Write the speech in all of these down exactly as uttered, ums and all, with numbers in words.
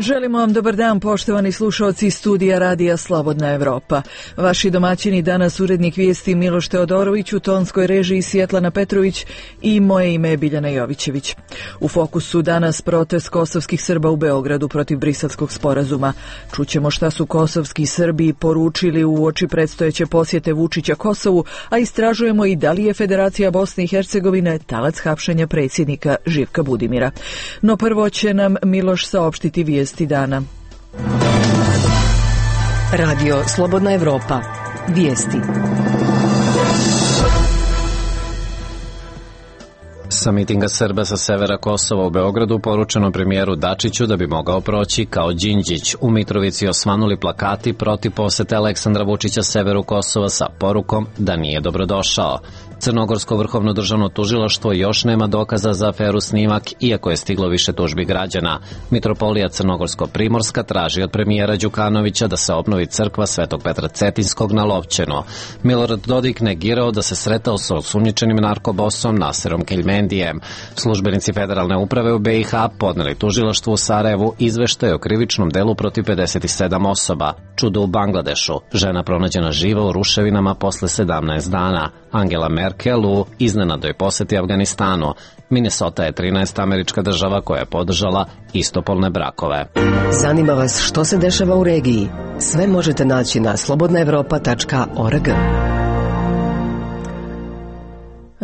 Želimo vam dobar dan, poštovani slušalci studija Radija Slobodna Evropa. Vaši domaćini danas urednik vijesti Miloš Teodorović, u tonskoj režiji Svjetlana Petrović i moje ime je Biljana Jovićević. U fokusu danas protest kosovskih Srba u Beogradu protiv Briselskog sporazuma. Čućemo šta su kosovski Srbi poručili u oči predstojeće posjete Vučića Kosovu, a istražujemo i da li je Federacija Bosne i Hercegovine talac hapšenja predsjednika Živka Budimira. No prvo će nam Miloš saopštiti vijesti dana. Radio Slobodna Evropa. Vijesti. Sa mitinga Srba sa severa Kosova u Beogradu poručeno premijeru Dačiću da bi mogao proći kao Đinđić. U Mitrovici osvanuli plakati protiv posete Aleksandra Vučića severu Kosova sa porukom da nije dobrodošao. Crnogorsko vrhovno državno tužilaštvo još nema dokaza za aferu Snimak, iako je stiglo više tužbi građana. Mitropolija Crnogorsko-Primorska traži od premijera Đukanovića da se obnovi crkva Svetog Petra Cetinskog na Lovćenu. Milorad Dodik negirao da se sretao sa osumnjičenim narkobosom Naserom Keljmendijem. Službenici federalne uprave u B i H podneli tužilaštvu u Sarajevu izveštaj o krivičnom delu protiv pedeset sedam osoba. Čudo u Bangladešu. Žena pronađena živa u ruševinama posle sedamnaest dana. Angela Merkel u iznenadoj poseti Afganistanu. Minnesota je trinaesta američka država koja je podržala istopolne brakove. Zanima vas što se dešava u regiji? Sve možete naći na slobodna evropa tačka org.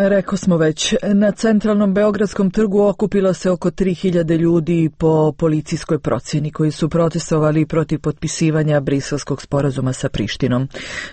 Rekao smo već, na centralnom Beogradskom trgu okupilo se oko tri hiljade ljudi po policijskoj procjeni koji su protestovali protiv potpisivanja Briselskog sporazuma sa Prištinom.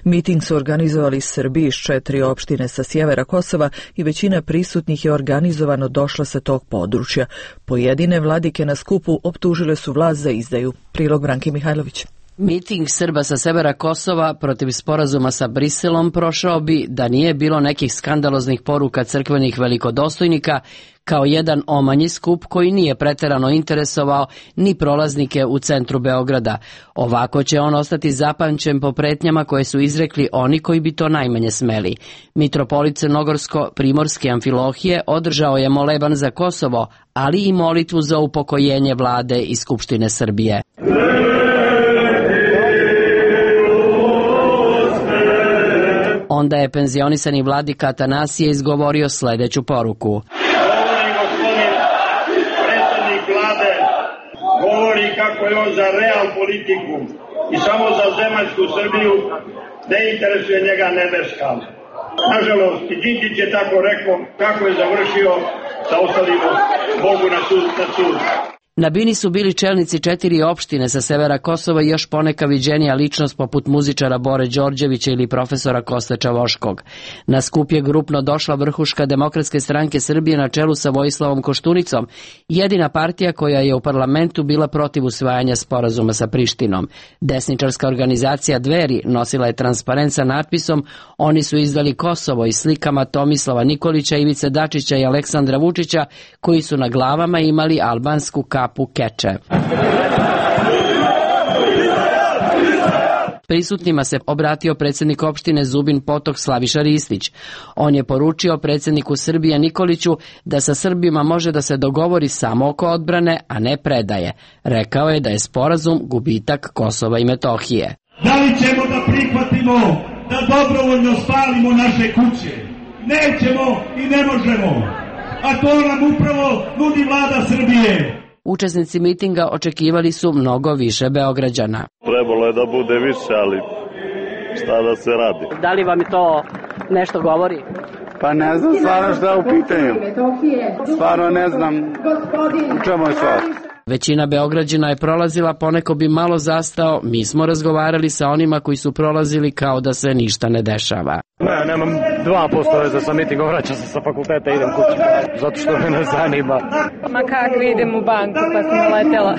Miting su organizovali Srbi iz četiri opštine sa sjevera Kosova i većina prisutnih je organizovano došla sa tog područja. Pojedine vladike na skupu optužile su vlast za izdaju. Prilog Branke Mihajlović. Miting Srba sa severa Kosova protiv sporazuma sa Briselom prošao bi da nije bilo nekih skandaloznih poruka crkvenih velikodostojnika, kao jedan omanji skup koji nije preterano interesovao ni prolaznike u centru Beograda. Ovako će on ostati zapamćen po pretnjama koje su izrekli oni koji bi to najmanje smeli. Mitropolit Crnogorsko-Primorske Amfilohije održao je moleban za Kosovo, ali i molitvu za upokojenje vlade i Skupštine Srbije. Onda je penzionisani vladika Atanasije izgovorio sljedeću poruku. Govori gospodin predsjednik vlade, govori kako je on za real politiku i samo za zemaljsku Srbiju, ne interesuje njega nebeska. Nažalost, Đinđić je tako rekao, kako je završio, da ostavimo Bogu na sud. Na sud. Na bini su bili čelnici četiri opštine sa severa Kosova i još poneka viđenija ličnost poput muzičara Bore Đorđevića ili profesora Koste Čavoškog. Na skup je grupno došla vrhuška Demokratske stranke Srbije na čelu sa Vojislavom Koštunicom, jedina partija koja je u parlamentu bila protiv usvajanja sporazuma sa Prištinom. Desničarska organizacija Dveri nosila je transparent sa natpisom "Oni su izdali Kosovo" i slikama Tomislava Nikolića, Ivice Dačića i Aleksandra Vučića, koji su na glavama imali albansku kapu keče. Prisutnima se obratio predsjednik opštine Zubin Potok Slaviša Ristić. On je poručio predsjedniku Srbije Nikoliću da sa Srbima može da se dogovori samo oko odbrane, a ne predaje. Rekao je da je sporazum gubitak Kosova i Metohije. Da li ćemo da prihvatimo da dobrovoljno spalimo naše kuće? Nećemo i ne možemo. A to nam upravo nudi vlada Srbije. Učesnici mitinga očekivali su mnogo više Beograđana. Trebalo je da bude više, ali šta da se radi? Da li vam je to nešto govori? Pa ne znam stvarno šta je u pitanju. Stvarno ne znam u čemu je stvar. Većina Beograđana je prolazila, poneko bi malo zastao. Mi smo razgovarali sa onima koji su prolazili kao da se ništa ne dešava. Ne, nemam dva posto veze sa mitingom, vraćam se sa fakulteta i idem kući, zato što me ne zanima. Ma kako idem u banku pa sam naletela.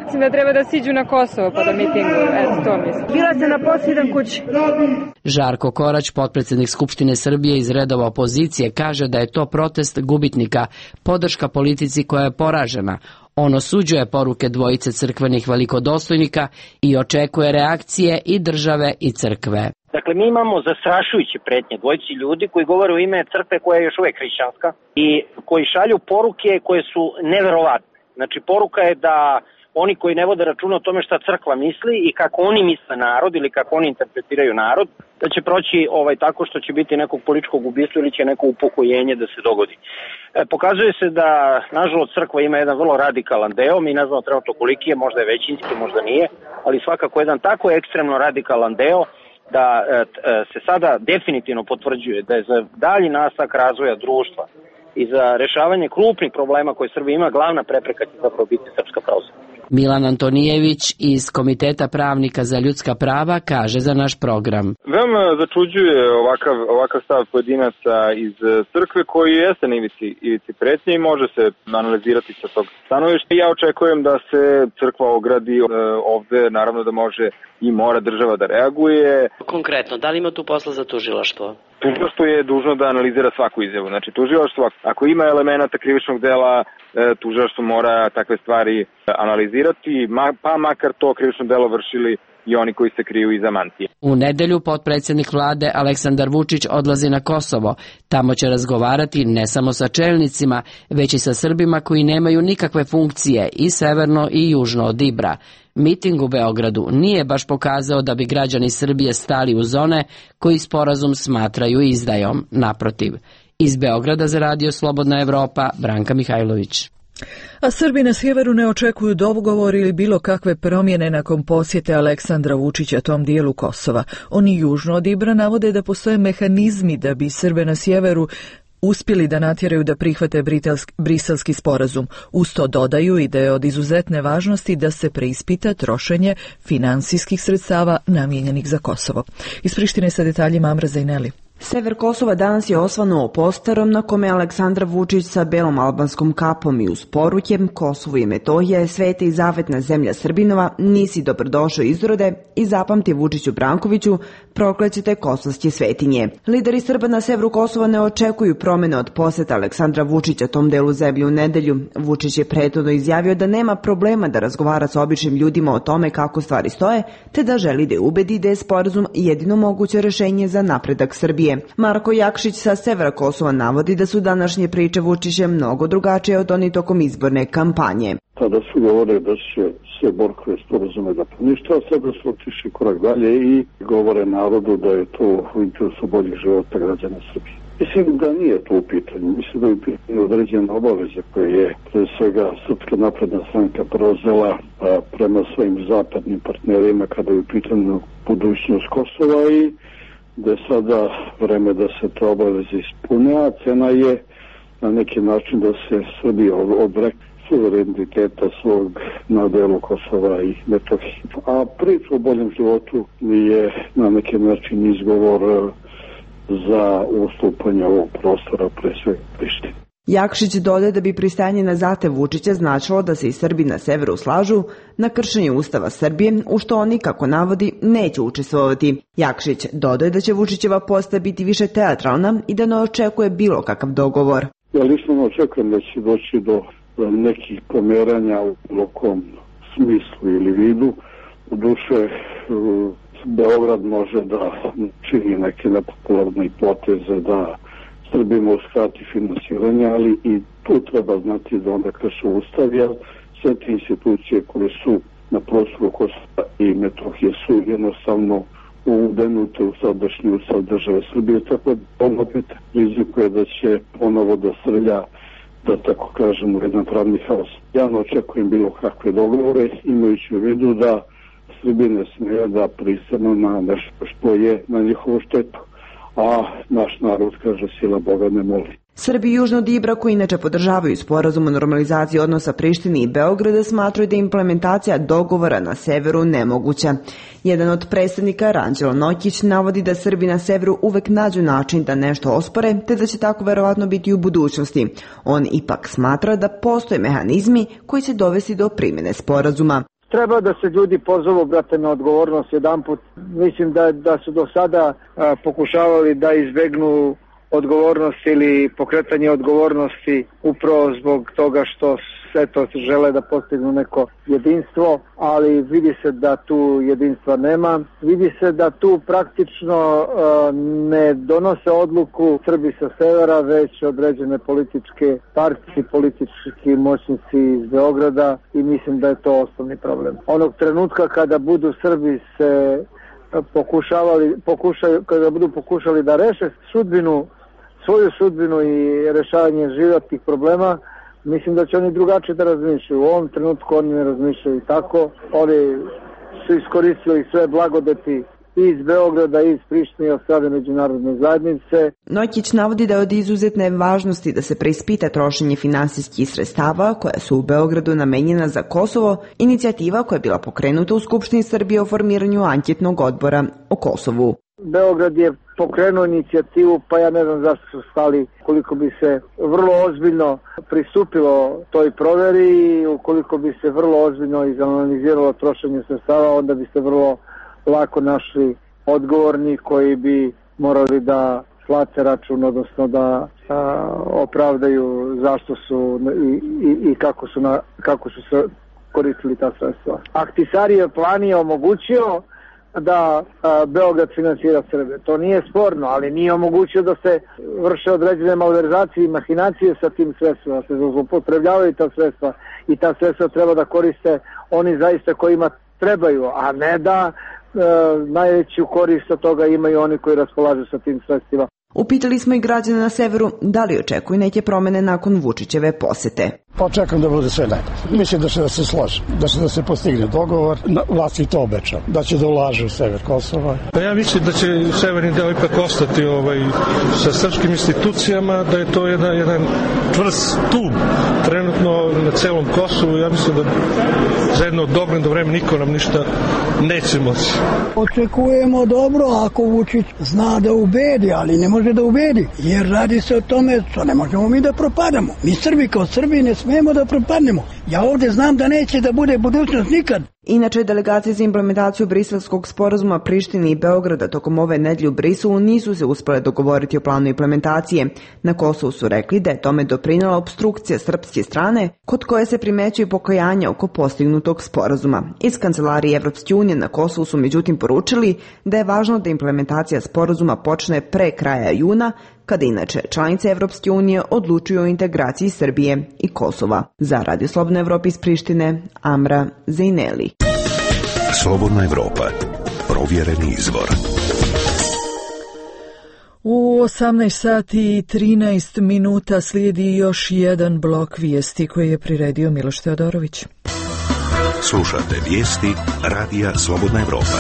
Mislim da treba da siđu na Kosovo pa da mitinguju, eto to mislim. Bila se na poslu, idem kući. Žarko Korać, potpredsjednik Skupštine Srbije iz redova opozicije, kaže da je to protest gubitnika, podrška politici koja je poražena. On osuđuje poruke dvojice crkvenih velikodostojnika i očekuje reakcije i države i crkve. Dakle, mi imamo zastrašujuće pretnje dvojici ljudi koji govore u ime crkve koja je još uvijek hrišćanska i koji šalju poruke koje su neverovatne. Znači, poruka je da oni koji ne vode računa o tome šta crkva misli i kako oni misle narod ili kako oni interpretiraju narod, da će proći ovaj tako što će biti nekog političkog ubistva ili će neko upokojenje da se dogodi. E, pokazuje se da, nažalost, crkva ima jedan vrlo radikalan deo, mi ne znamo trenutno koliki je, možda je većinski, možda nije, ali svakako jedan tako ekstremno radikalan deo da e, se sada definitivno potvrđuje da je za dalji nastavak razvoja društva i za rešavanje krupnih problema koje Srbija ima, glavna prepreka će zapravo biti Srpska pravoslavna. Milan Antonijević iz Komiteta pravnika za ljudska prava kaže za naš program. Veoma začuđuje ovakav, ovakav stav pojedinaca iz crkve koji jeste na ivici, ivici pretnje i može se analizirati sa tog stanovišta. Ja očekujem da se crkva ogradi ovde, naravno da može i mora država da reaguje. Konkretno, da li ima tu posla za tužilaštvo? Tužilaštvo je dužno da analizira svaku izjavu. Znači, tužilaštvo, ako ima elemenata krivičnog dela, tužilaštvo mora takve stvari analizirati, pa makar to krivično delo vršili i oni koji se kriju iza mantije. U nedelju potpredsjednik vlade Aleksandar Vučić odlazi na Kosovo. Tamo će razgovarati ne samo sa čelnicima, već i sa Srbima koji nemaju nikakve funkcije i severno i južno od Ibra. Miting u Beogradu nije baš pokazao da bi građani Srbije stali uz one koji sporazum smatraju izdajom. Naprotiv. Iz Beograda za radio Slobodna Evropa, Branka Mihajlović. A Srbi na sjeveru ne očekuju dogovor ili bilo kakve promjene nakon posjete Aleksandra Vučića tom dijelu Kosova. Oni južno od Ibra navode da postoje mehanizmi da bi Srbe na sjeveru uspjeli da natjeraju da prihvate briselski sporazum. Uz to dodaju i da je od izuzetne važnosti da se preispita trošenje finansijskih sredstava namijenjenih za Kosovo. Iz Prištine sa detaljima Amra Zajneli. Sever Kosova danas je osvanuo posterom na kome je Aleksandar Vučić sa belom albanskom kapom i uz poruke Kosovo i Metohija je sveta i zavetna zemlja Srbinova, nisi dobrodošao izrode i zapamti Vučiću Brankoviću, proklećete kosovske svetinje. Lideri Srba na severu Kosova ne očekuju promjene od poseta Aleksandra Vučića tom delu zemlje u nedelju. Vučić je prethodno izjavio da nema problema da razgovara sa običnim ljudima o tome kako stvari stoje, te da želi da je ubedi da je sporazum jedino moguće rešenje za napredak Srbije. Marko Jakšić sa severa Kosova navodi da su današnje priče Vučića mnogo drugačije od onih tokom izborne kampanje. Tada su govorili da će sve Borkove sporazume da ponište, a sada su otišli korak dalje i govore narodu da je to u interesu boljih života građana Srbije. Mislim da nije to u pitanju. Mislim da je u pitanju određena obaveza koje je pre svega Srpska napredna stranka preuzela prema svojim zapadnim partnerima kada je u pitanju budućnost Kosova i da je sada vreme da se to obaveze ispune, a cena je na neki način da se Srbija odrekne suvereniteta svog na delu Kosova i Metohije. A priča o boljem životu je na neki način izgovor za ustupanje ovog prostora pre svega Prištine. Jakšić dodaje da bi pristajanje na zahtev Vučića značilo da se i Srbi na severu slažu na kršenje Ustava Srbije, u što oni, kako navodi, neće učestvovati. Jakšić dodaje da će Vučićeva postaja biti više teatralna i da ne očekuje bilo kakav dogovor. Ja lično ne očekujem da će doći do nekih pomeranja u bilo kom smislu ili vidu. U duše, Beograd može da čini neke nepopularne poteze da Srbima uskrati finansiranje, ali i tu treba znati da onda krše Ustav, jer sve te institucije koje su na prostoru Kosova i Metohije su jednostavno udenute u sadašnji Ustav države Srbije, tako da on opet rizikuje da će ponovo da srlja, da tako kažemo, jedan pravni haos. Ja ne očekujem bilo kakve dogovore, imajući u vidu da Srbije ne smije da pristanu na nešto što je na njihovu štetu. A naš narod kaže sila Boga ne moli. Srbi južno od Ibra, koji inače podržavaju sporazum o normalizaciji odnosa Prištine i Beograda, smatraju da je implementacija dogovora na severu nemoguća. Jedan od predstavnika, Ranđelo Nokić, navodi da Srbi na severu uvek nađu način da nešto ospore, te da će tako verovatno biti u budućnosti. On ipak smatra da postoje mehanizmi koji će dovesti do primjene sporazuma. Treba da se ljudi pozovu, brate, na odgovornost jedan put. Mislim da, da su do sada a, pokušavali da izbegnu odgovornosti ili pokretanje odgovornosti upravo zbog toga što eto žele da postignu neko jedinstvo, ali vidi se da tu jedinstva nema. Vidi se da tu praktično uh, ne donose odluku Srbi sa severa, već određene političke partije, politički moćnici iz Beograda i mislim da je to osnovni problem. Onog trenutka kada budu Srbi se pokušavali, pokušaju, kada budu pokušali da reše sudbinu, svoju sudbinu i rešavanje životnih problema, mislim da će oni drugačije da razmišljaju. U ovom trenutku oni ne razmišljaju tako. Oni su iskoristili sve blagodeti iz Beograda i iz Prištine od strane međunarodne zajednice. Nojkić navodi da je od izuzetne važnosti da se preispita trošenje finansijskih sredstava koja su u Beogradu namenjena za Kosovo, inicijativa koja je bila pokrenuta u Skupštini Srbije o formiranju anketnog odbora o Kosovu. Beograd je pokrenuo inicijativu, pa ja ne znam zašto su stali, koliko bi se vrlo ozbiljno pristupilo toj proveri i ukoliko bi se vrlo ozbiljno izanaliziralo trošenje sredstava, onda bi se vrlo lako našli odgovorni koji bi morali da plate račun, odnosno da a, opravdaju zašto su i, i, i kako su, na, kako su se koristili ta sredstva. Ahtisarijev plan je omogućio da a, Beograd finansira Srbije. To nije sporno, ali nije omogućio da se vrše određene malverzacije i mahinacije sa tim sredstvima, da se zloupotrebljavaju ta sredstva i ta sredstva treba da koriste oni zaista kojima trebaju, a ne da e, najveću korist od toga imaju oni koji raspolažu sa tim sredstvima. Upitali smo i građane na severu da li očekuju neke promene nakon Vučićeve posete. Pa očekujem da bude sve najbolje. Mislim da će da se složi, da će da se postigne dogovor. Vlast i to obećao, da će da ulaže u sever Kosova. Pa ja mislim da će severni deo ipak ostati ovaj, sa srpskim institucijama, da je to jedan, jedan čvrst stub trenutno na celom Kosovu. Ja mislim da za jedno dogledno vreme niko nam ništa neće moći. Očekujemo dobro ako Vučić zna da ubedi, ali ne može da ubedi, jer radi se o tome što ne možemo mi da propadamo. Mi Srbi kao Srbi ne smemo da propadnemo. Ja ovde znam da neće da bude budućnost nikad. Inače, delegacije za implementaciju Briselskog sporazuma Prištine i Beograda tokom ove nedelje u Briselu nisu se uspele dogovoriti o planu implementacije. Na Kosovu su rekli da je tome doprinela opstrukcija srpske strane, kod koje se primećuje pokajanje oko postignutog sporazuma. Iz Kancelarije Evropske unije na Kosovu su međutim poručili da je važno da implementacija sporazuma počne pre kraja juna, kada inače članice Evropske unije odlučuju o integraciji Srbije i Kosova. Za Radio Slobodna Evropa iz Prištine, Amra Zejneli. Slobodna Evropa. Provjereni izvor. U osamnaest sati i trinaest minuta slijedi još jedan blok vijesti koji je priredio Miloš Teodorović. Slušate vijesti Radija Slobodna Evropa.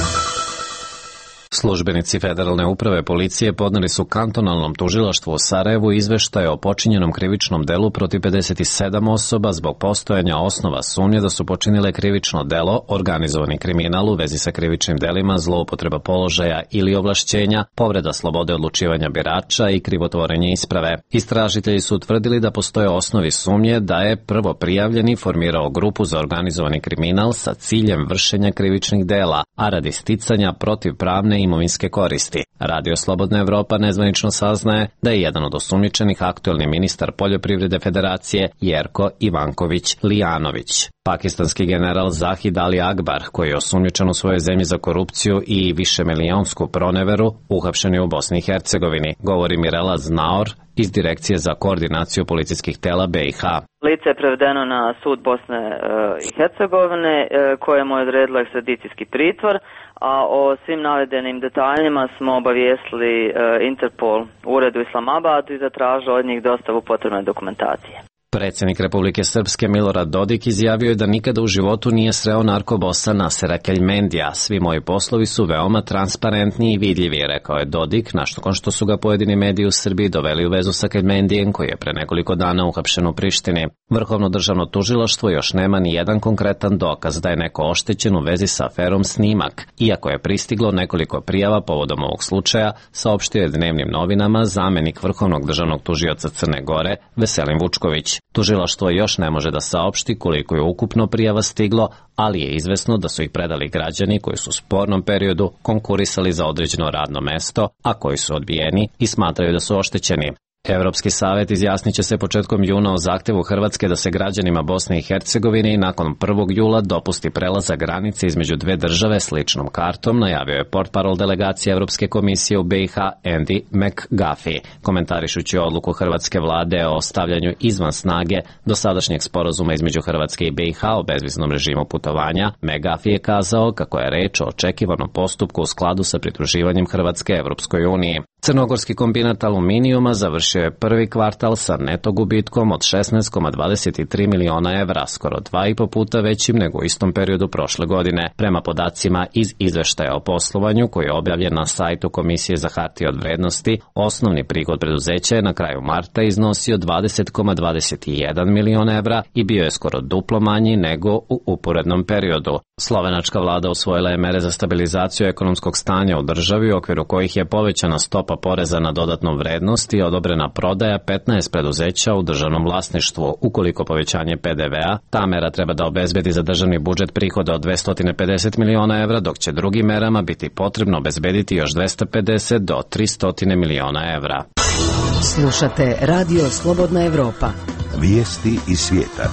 Službenici Federalne uprave policije podneli su kantonalnom tužilaštvu u Sarajevu izveštaj o počinjenom krivičnom delu protiv pedeset sedam osoba zbog postojanja osnova sumnje da su počinile krivično delo, organizovani kriminal u vezi sa krivičnim delima, zloupotreba položaja ili ovlašćenja, povreda slobode odlučivanja birača i krivotvorenje isprave. Istražitelji su utvrdili da postoje osnovi sumnje da je prvo prijavljeni formirao grupu za organizovani kriminal sa ciljem vršenja krivičnih dela, a radi sticanja protivpravne imovinske koristi. Radio Slobodna Evropa nezvanično saznaje da je jedan od osumnjičenih aktuelni ministar poljoprivrede Federacije Jerko Ivanković Lijanović. Pakistanski general Zahid Ali Akbar, koji je osumnjičen u svojoj zemlji za korupciju i višemilijonsku proneveru, uhapšen je u Bosni i Hercegovini, govori Mirela Znaor iz Direkcije za koordinaciju policijskih tela B i H. Lice je prevedeno na sud Bosne i Hercegovine, kojemu je odredilo ekstradicijski pritvor, a o svim navedenim detaljima smo obavijestili Interpol u uredu Islamabadu i zatražili od njih dostavu potrebne dokumentacije. Predsjednik Republike Srpske Milorad Dodik izjavio je da nikada u životu nije sreo narkobosa Nasera Keljmendija. Svi moji poslovi su veoma transparentni i vidljivi, rekao je Dodik, nakon što su ga pojedini mediji u Srbiji doveli u vezu sa Keljmendijem, koji je pre nekoliko dana uhapšen u Prištini. Vrhovno državno tužilaštvo još nema ni jedan konkretan dokaz da je neko oštećen u vezi sa aferom Snimak, iako je pristiglo nekoliko prijava povodom ovog slučaja, saopštio je dnevnim novinama zamenik Vrhovnog državnog tužioca Crne Gore Veselin Vučković. Tužilaštvo još ne može da saopšti koliko je ukupno prijava stiglo, ali je izvesno da su ih predali građani koji su u spornom periodu konkurisali za određeno radno mesto, a koji su odbijeni i smatraju da su oštećeni. Evropski savet izjasnit će se početkom juna o zahtevu Hrvatske da se građanima Bosne i Hercegovine i nakon prvog jula dopusti prelazak granice između dve države s ličnom kartom, najavio je portparol delegacije Evropske komisije u B i H Andy McGuffey, komentarišući odluku hrvatske vlade o stavljanju izvan snage dosadašnjeg sporazuma između Hrvatske i B i H o bezviznom režimu putovanja. McGuffey je kazao kako je reč o očekivanom postupku u skladu sa pridruživanjem Hrvatske Evropskoj uniji. Crnogorski kombinat aluminijuma završio je prvi kvartal sa neto gubitkom od šesnaest zarez dvadeset tri miliona evra, skoro dva i po puta većim nego u istom periodu prošle godine. Prema podacima iz izveštaja o poslovanju koji je objavljen na sajtu Komisije za hartije od vrednosti, osnovni prihod preduzeća je na kraju marta iznosio dvadeset zarez dvadeset jedan miliona evra i bio je skoro duplo manji nego u uporednom periodu. Slovenačka vlada usvojila je mere za stabilizaciju ekonomskog stanja u državi u okviru kojih je povećana stopa poreza na dodatnu vrednost i odobrena prodaja petnaest preduzeća u državnom vlasništvu. Ukoliko povećanje P D V-a, ta mera treba da obezbedi za državni budžet prihoda od dvesta pedeset miliona evra, dok će drugim merama biti potrebno obezbediti još dvesta pedeset do trista miliona evra. Slušate Radio Slobodna Evropa. Vijesti iz svijeta.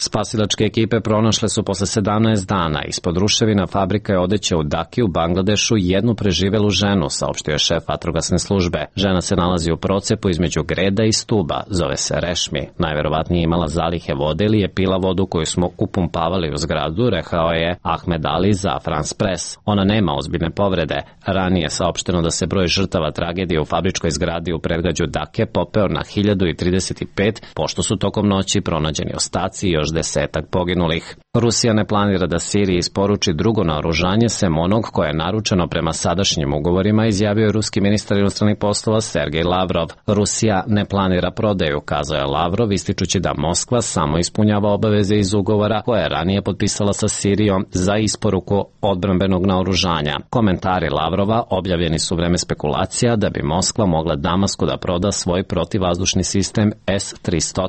Spasilačke ekipe pronašle su posle sedamnaest dana ispod ruševina fabrika odeće u Daki u Bangladešu jednu preživelu ženu, saopštio je šef vatrogasne službe. Žena se nalazi u procepu između greda i stuba, zove se Rešmi. Najverovatnije imala zalihe vode ili je pila vodu koju smo upumpavali u zgradu, rekao je Ahmed Ali za France Press. Ona nema ozbiljne povrede. Ranije je saopšteno da se broj žrtava tragedije u fabričkoj zgradi u predgrađu Dake popeo na hiljadu trideset pet, pošto su tokom noći pronađeni ostaci i još desetak poginulih. Rusija ne planira da Siriji isporuči drugo naoružanje sem onog koje je naručeno prema sadašnjim ugovorima, izjavio je ruski ministar inostranih poslova Sergej Lavrov. Rusija ne planira prodaju, kazao je Lavrov, ističući da Moskva samo ispunjava obaveze iz ugovora koje je ranije potpisala sa Sirijom za isporuku odbrambenog naoružanja. Komentari Lavrova objavljeni su u vreme spekulacija da bi Moskva mogla Damasku da proda svoj protivvazdušni sistem S tristo.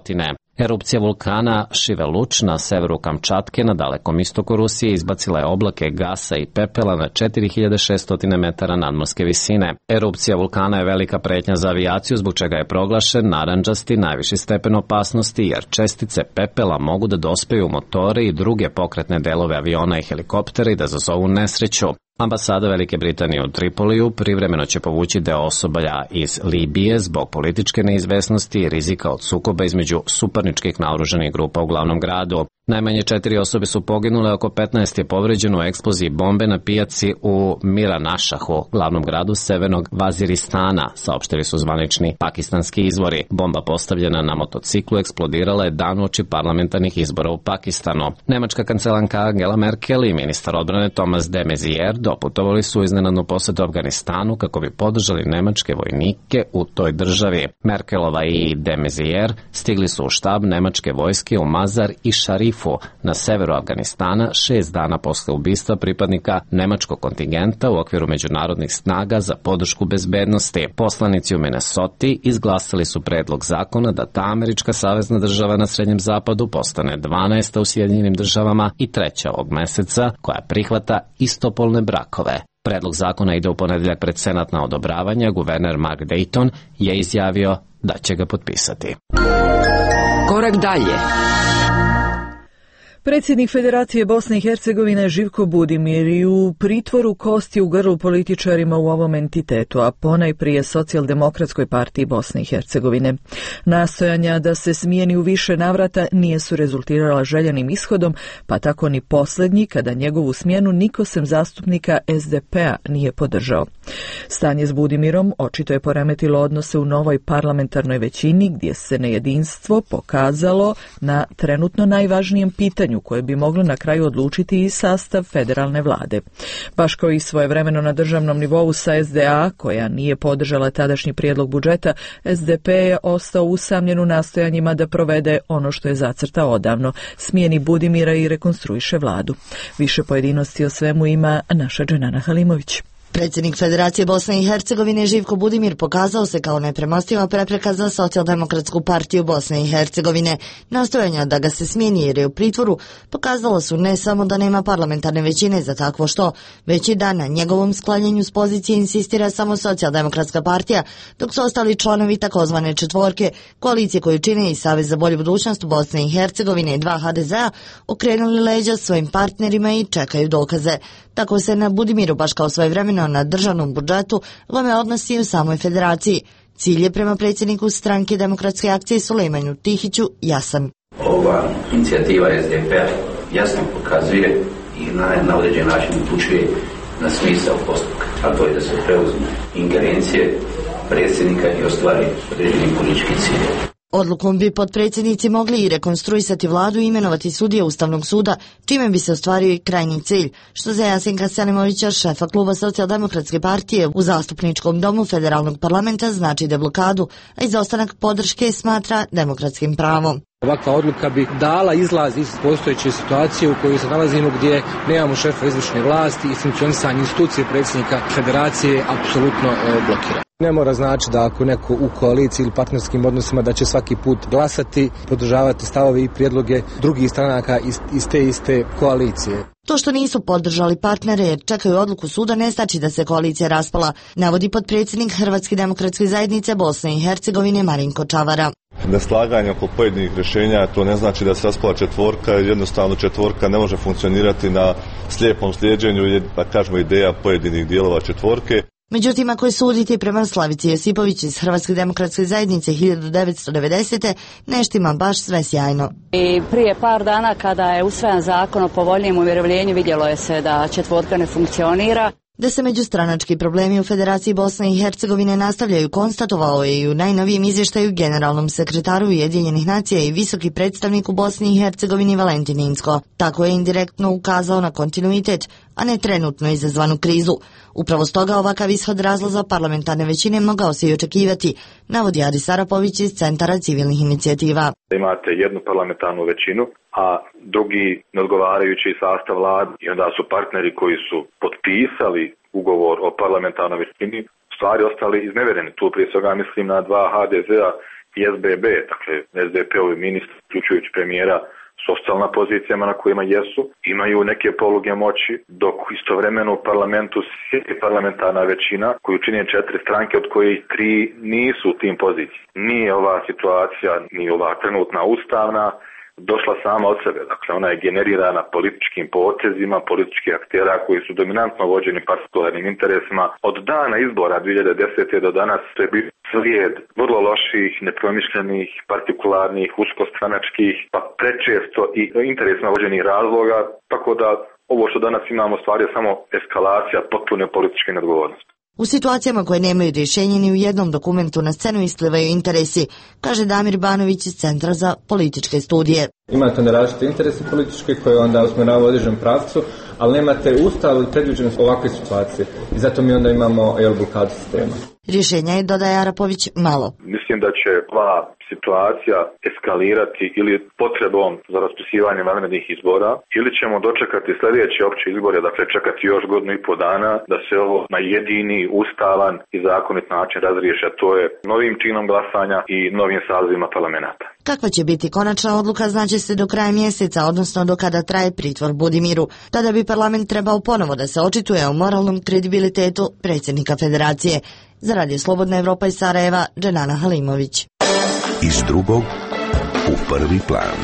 Erupcija vulkana Šiveluč na severu Kamčatke na dalekom istoku Rusije izbacila je oblake gasa i pepela na četiri hiljade šesto metara nadmorske visine. Erupcija vulkana je velika pretnja za avijaciju, zbog čega je proglašen narandžasti najviši stepen opasnosti, jer čestice pepela mogu da dospeju u motore i druge pokretne delove aviona i helikoptera i da izazovu nesreću. Ambasada Velike Britanije u Tripoliju privremeno će povući deo osoblja iz Libije zbog političke neizvesnosti i rizika od sukoba između suparničkih naoružanih grupa u glavnom gradu. Najmanje četiri osobe su poginule, oko petnaest je povređeno u eksploziji bombe na pijaci u Miranašahu, glavnom gradu severnog Vaziristana, saopštili su zvanični pakistanski izvori. Bomba postavljena na motociklu eksplodirala je dan uoči parlamentarnih izbora u Pakistanu. Nemačka kancelanka Angela Merkel i ministar odbrane Thomas de Maizière doputovali su iznenadnu posetu Afganistanu kako bi podržali nemačke vojnike u toj državi. Merkelova i de Maizière stigli su u štab nemačke vojske u Mazar i Šarif na severu Afganistana šest dana posle ubistva pripadnika nemačkog kontingenta u okviru međunarodnih snaga za podršku bezbednosti. Poslanici u Minnesoti izglasali su predlog zakona da ta američka savezna država na Srednjem zapadu postane dvanaesta u Sjedinjenim državama i treća ovog meseca koja prihvata istopolne brakove. Predlog zakona ide u ponedeljak pred Senat na odobravanje, guverner Mark Dayton je izjavio da će ga potpisati. Korak dalje. Predsjednik Federacije Bosne i Hercegovine Živko Budimir i u pritvoru kosti u grlu političarima u ovom entitetu, a ponajprije Socijaldemokratskoj partiji Bosne i Hercegovine. Nastojanja da se smijeni u više navrata nije su rezultirala željenim ishodom, pa tako ni posljednji, kada njegovu smjenu niko sem zastupnika S D P-a nije podržao. Stanje s Budimirom očito je poremetilo odnose u novoj parlamentarnoj većini, gdje se nejedinstvo pokazalo na trenutno najvažnijem pitanju koje bi moglo na kraju odlučiti i sastav federalne vlade. Baš kao i svojevremeno na državnom nivou sa S D A, koja nije podržala tadašnji prijedlog budžeta, S D P je ostao usamljen u nastojanjima da provede ono što je zacrtao odavno, smijeni Budimira i rekonstruiše vladu. Više pojedinosti o svemu ima naša Dženana Halimović. Predsjednik Federacije Bosne i Hercegovine Živko Budimir pokazao se kao nepremostiva prepreka za Socijaldemokratsku partiju Bosne i Hercegovine. Nastojanja da ga se smijeni jer je u pritvoru pokazalo su ne samo da nema parlamentarne većine za takvo što, već i da na njegovom sklanjanju s pozicije insistira samo Socijaldemokratska partija, dok su ostali članovi takozvane četvorke, koalicije koju čine i Savez za bolju budućnost Bosne i Hercegovine i dva ha de zea, okrenuli leđa svojim partnerima i čekaju dokaze. Tako se na Budimiru, baš kao svojevremeno na državnom budžetu, lome odnosi u samoj federaciji. Cilj je prema predsjedniku stranke Demokratske akcije Sulejmanu Tihiću jasan. Ova inicijativa es de pe jasno pokazuje i na, na određen način upućuje na smisao postupka, a to je da se preuzme ingerencije predsjednika i ostvari određeni politički cilj. Odlukom bi potpredsjednici mogli i rekonstruisati vladu i imenovati sudije Ustavnog suda, čime bi se ostvario i krajnji cilj, što za Jasenka Selimovića, šefa kluba Socijaldemokratske partije u zastupničkom domu federalnog parlamenta, znači deblokadu, a izostanak podrške smatra demokratskim pravom. Ovakva odluka bi dala izlaz iz postojeće situacije u kojoj se nalazimo, gdje nemamo šefa izvršne vlasti i funkcionisanje institucije predsjednika federacije apsolutno blokira. Ne mora znači da ako neko u koaliciji ili partnerskim odnosima da će svaki put glasati, podržavati stavove i prijedloge drugih stranaka iz, iz te iste koalicije. To što nisu podržali partnere jer čekaju odluku suda ne znači da se koalicija raspala, navodi potpredsjednik Hrvatske demokratske zajednice Bosne i Hercegovine Marinko Čavara. Neslaganje oko pojedinih rješenja, to ne znači da se raspala četvorka, jer jednostavno četvorka ne može funkcionirati na slijepom slijeđenju, da kažemo, ideja pojedinih dijelova četvorke. Međutim, ako je suditi prema Slavici Josipović iz Hrvatske demokratske zajednice hiljadu devetsto devedesete. neštima baš sve sjajno. I prije par dana kada je usvajan zakon o povoljnijem umirovljenju vidjelo je se da četvorka ne funkcionira. Da se međustranački problemi u Federaciji Bosne i Hercegovine nastavljaju, konstatovao je i u najnovijem izvještaju generalnom sekretaru Ujedinjenih nacija i visoki predstavnik u Bosni i Hercegovini Valentin Inzko. Tako je indirektno ukazao na kontinuitet, a ne trenutno izazvanu krizu. Upravo stoga ovakav ishod razlaza parlamentarne većine mogao se i očekivati, navodi Adis Arapović iz Centara civilnih inicijativa. Imate jednu parlamentarnu većinu, a drugi neodgovarajući sastav vlade i onda su partneri koji su potpisali ugovor o parlamentarnoj većini stvari ostali iznevereni. Tu prije svega mislim na dva ha de zea i es be be, dakle es de pe-ovi ministri, uključujući premijera, s ostali na pozicijama na kojima jesu, imaju neke poluge moći, dok istovremeno u parlamentu sjedi parlamentarna većina koju čine četiri stranke, od kojih tri nisu u tim pozicijama. Nije ova situacija, ni ova trenutna ustavna, došla sama od sebe. Dakle, ona je generirana političkim potezima, političkih aktera koji su dominantno vođeni partikularnim interesima. Od dana izbora dvije hiljade desete. do danas to je bio slijed vrlo loših, nepromišljenih, partikularnih, uskostranačkih, pa prečesto i interesima vođenih razloga, tako da ovo što danas imamo stvari je samo eskalacija potpune političke neodgovornosti. U situacijama koje nemaju rješenje ni u jednom dokumentu na scenu isplivaju interesi, kaže Damir Banović iz Centra za političke studije. Imate onda različite interese političke koje onda usmjeravaju u određenom pravcu, ali nemate ustav ili predviđenost ovakve situacije i zato mi onda imamo jel, blokadu sistema. Rješenja je, dodaje Arapović, malo. Mislim da će ova situacija eskalirati ili potrebom za raspisivanje vanrednih izbora ili ćemo dočekati sljedeće opće izbore, dakle čekati još godinu i pol dana da se ovo na jedini, ustavan i zakonit način razriješi, a to je novim činom glasanja i novim sazivima parlamenta. Kakva će biti konačna odluka znaće se do kraja mjeseca, odnosno do kada traje pritvor Budimiru. Tada bi parlament trebao ponovo da se očituje o moralnom kredibilitetu predsjednika federacije. Za Radio Slobodna Evropa iz Sarajeva, Dženana Halimović. Iz drugog u prvi plan.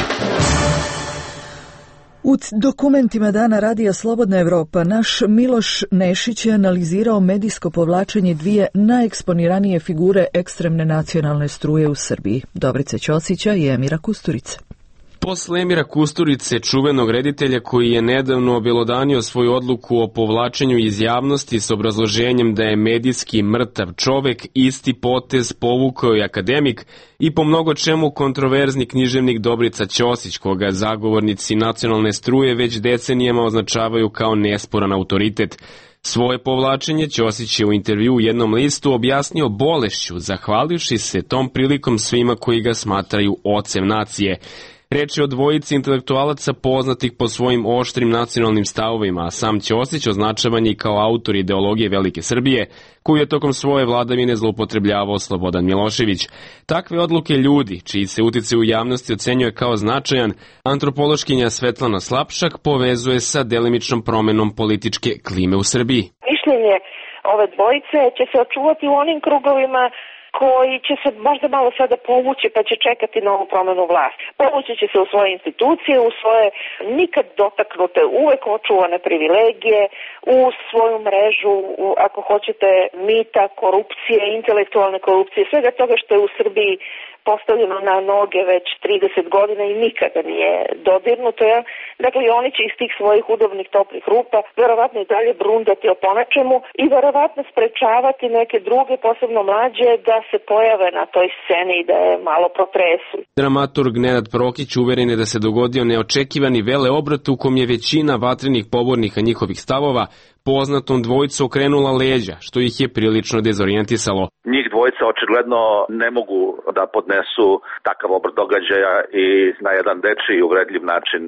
U dokumentima Dana Radija Slobodna Evropa naš Miloš Nešić je analizirao medijsko povlačenje dvije najeksponiranije figure ekstremne nacionalne struje u Srbiji, Dobrice Ćosića i Emira Kusturice. Posle Emira Kusturice, čuvenog reditelja koji je nedavno obelodanio svoju odluku o povlačenju iz javnosti s obrazloženjem da je medijski mrtav čovek, isti potez povukao i akademik i po mnogo čemu kontroverzni književnik Dobrica Ćosić, koga zagovornici nacionalne struje već decenijama označavaju kao nesporan autoritet. Svoje povlačenje Ćosić je u intervju u jednom listu objasnio bolešću, zahvalivši se tom prilikom svima koji ga smatraju ocem nacije. Reč je o dvojici intelektualaca poznatih po svojim oštrim nacionalnim stavovima, a sam Ćosić označavan je kao autor ideologije Velike Srbije, koju je tokom svoje vladavine zloupotrebljavao Slobodan Milošević. Takve odluke ljudi, čiji se uticaj u javnosti ocenjuje kao značajan, antropološkinja Svetlana Slapšak povezuje sa delimičnom promenom političke klime u Srbiji. Mišljenje ove dvojice će se očuvati u onim krugovima koji će se možda malo sada povući pa će čekati novu promenu vlasti. Povući će se u svoje institucije, u svoje nikad dotaknute, uvek očuvane privilegije, u svoju mrežu, u, ako hoćete, mita, korupcije, intelektualne korupcije, svega toga što je u Srbiji postavljeno na noge već trideset godina i nikada nije dodirnuto. Ja? Dakle, i oni će iz tih svojih udobnih toplih rupa verovatno i dalje brundati o ponačemu i verovatno sprečavati neke druge, posebno mlađe, da se pojave na toj sceni i da je malo protresu. Dramaturg Nenad Prokić uveren je da se dogodio neočekivani veleobrat u kom je većina vatrenih pobornika njihovih stavova poznatom dvojicu okrenula leđa, što ih je prilično dezorijentisalo. Njih dvojica očigledno ne mogu da podnesu takav obrt događaja i na jedan dečiji i uvredljiv način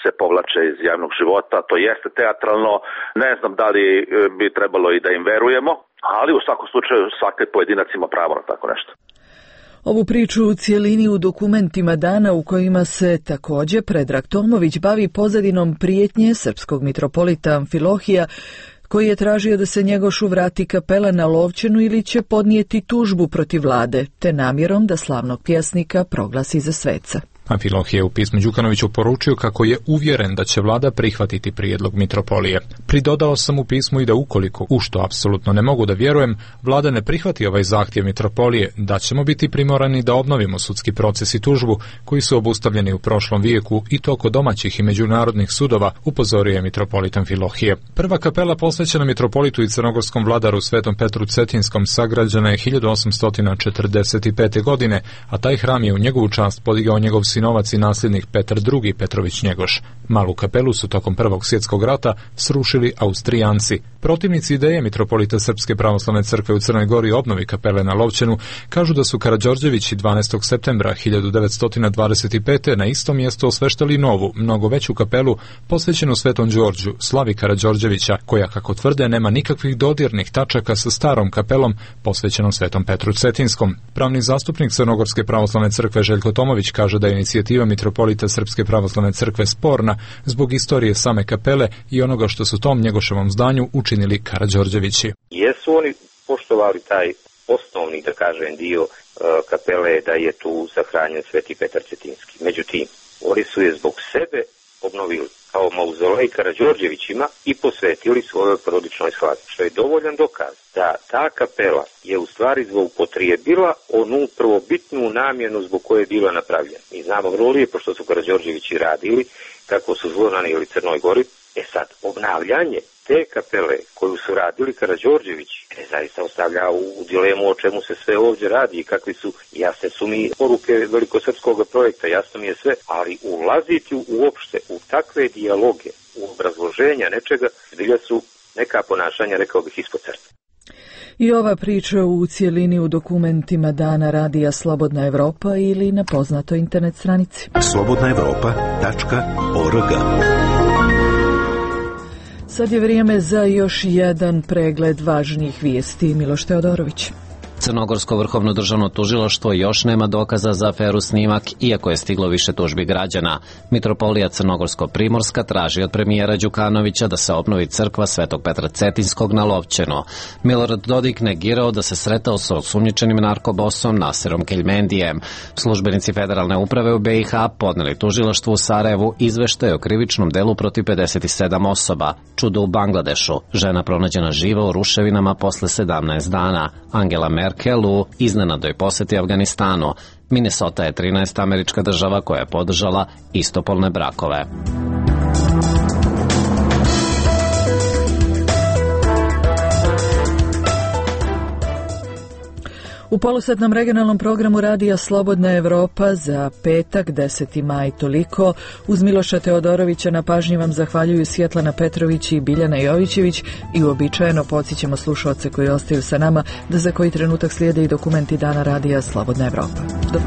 se povlače iz javnog života. To jeste teatralno, ne znam da li bi trebalo i da im verujemo, ali u svakom slučaju svaki pojedinac ima pravo na tako nešto. Ovu priču u cijelini u dokumentima dana u kojima se također Predrag Tomović bavi pozadinom prijetnje srpskog mitropolita Amfilohija, koji je tražio da se Njegošu vrati kapela na Lovćenu ili će podnijeti tužbu protiv vlade, te namjerom da slavnog pjesnika proglasi za sveca. Amfilohije je u pismu Đukanoviću poručio kako je uvjeren da će vlada prihvatiti prijedlog mitropolije. Pridodao sam u pismu i da ukoliko, u što apsolutno ne mogu da vjerujem, vlada ne prihvati ovaj zahtjev mitropolije, da ćemo biti primorani da obnovimo sudski proces i tužbu koji su obustavljeni u prošlom vijeku i to kod domaćih i međunarodnih sudova, upozorio je mitropolit Amfilohije. Prva kapela posvećena mitropolitu i crnogorskom vladaru Svetom Petru Cetinskom sagrađena je hiljadu osamsto četrdeset pete. godine, a taj hram je u njegovu čast podigao njegov sinovac i nasljednik Petar drugi. Petrović Njegoš. Malu kapelu su tokom Prvog svjetskog rata srušili Austrijanci. Protivnici ideje mitropolita Srpske pravoslavne crkve u Crnoj Gori obnovi kapele na Lovćenu kažu da su Karađorđevići dvanaestog septembra hiljadu devetsto dvadeset pete. na isto mjesto osveštali novu, mnogo veću kapelu posvećenu Svetom Đorđu, slavi Karađorđevića, koja, kako tvrde, nema nikakvih dodirnih tačaka sa starom kapelom posvećenom Svetom Petru Cetinskom. Pravni zastupnik Crnogorske pravoslavne crkve Željko Tomović kaže da je inicijativa mitropolita Srpske pravoslavne crkve sporna zbog istorije same kapele i onoga što su tom Njegoševom zdanju učinili Karađorđevići. Jesu oni poštovali taj osnovni, da kažem, dio uh, kapele da je tu sahranjen Sveti Petar Cetinski. Međutim, oni su je zbog sebe obnovili kao mauzolej Karađorđevićima i posvetili svojoj porodičnoj slavi, što je dovoljan dokaz da ta kapela je u stvari zloupotrijebila onu prvobitnu namjenu zbog koje je bila napravljena. Mi znamo vrlo lijepo što su Karađorđevići radili, kako su zlonanijeli Crnoj Gori. E sad, obnavljanje te kapele koju su radili Karađorđevići e, zaista ostavlja u, u dilemu o čemu se sve ovdje radi i kakvi su, jasne su mi poruke velikosrpskog projekta, jasno mi je sve, ali ulaziti uopšte u takve dijaloge, u obrazloženja nečega, zbilja su neka ponašanja, rekao bih, ispod crte. I ova priča u cijelini u dokumentima dana radija Slobodna Evropa ili na poznatoj internet stranici. slobodna evropa tačka org. Sad je vrijeme za još jedan pregled važnijih vijesti. Miloš Teodorović. Crnogorsko vrhovno državno tužilaštvo još nema dokaza za aferu Snimak, iako je stiglo više tužbi građana. Mitropolija Crnogorsko-Primorska traži od premijera Đukanovića da se obnovi crkva Svetog Petra Cetinskog na Lovćenu. Milorad Dodik negirao da se sretao sa osumnjičenim narkobosom Naserom Keljmendijem. Službenici federalne uprave u be i ha podneli tužilaštvu u Sarajevu izveštaj o krivičnom delu protiv pedeset sedam osoba. Čudo u Bangladešu. Žena pronađena živa u ruševinama posle sedamnaest dana. Angela Merkel u iznenadoj posjeti Afganistanu. Minnesota je trinaesta američka država koja je podržala istopolne brakove. U polosatnom regionalnom programu radija Slobodna Evropa za petak, deseti maj toliko. Uz Miloša Teodorovića na pažnji vam zahvaljuju Svjetlana Petrović i Biljana Jovićević i uobičajeno podsjećamo slušaoce koji ostaju sa nama da za koji trenutak slijede i dokumenti dana radija Slobodna Evropa. Do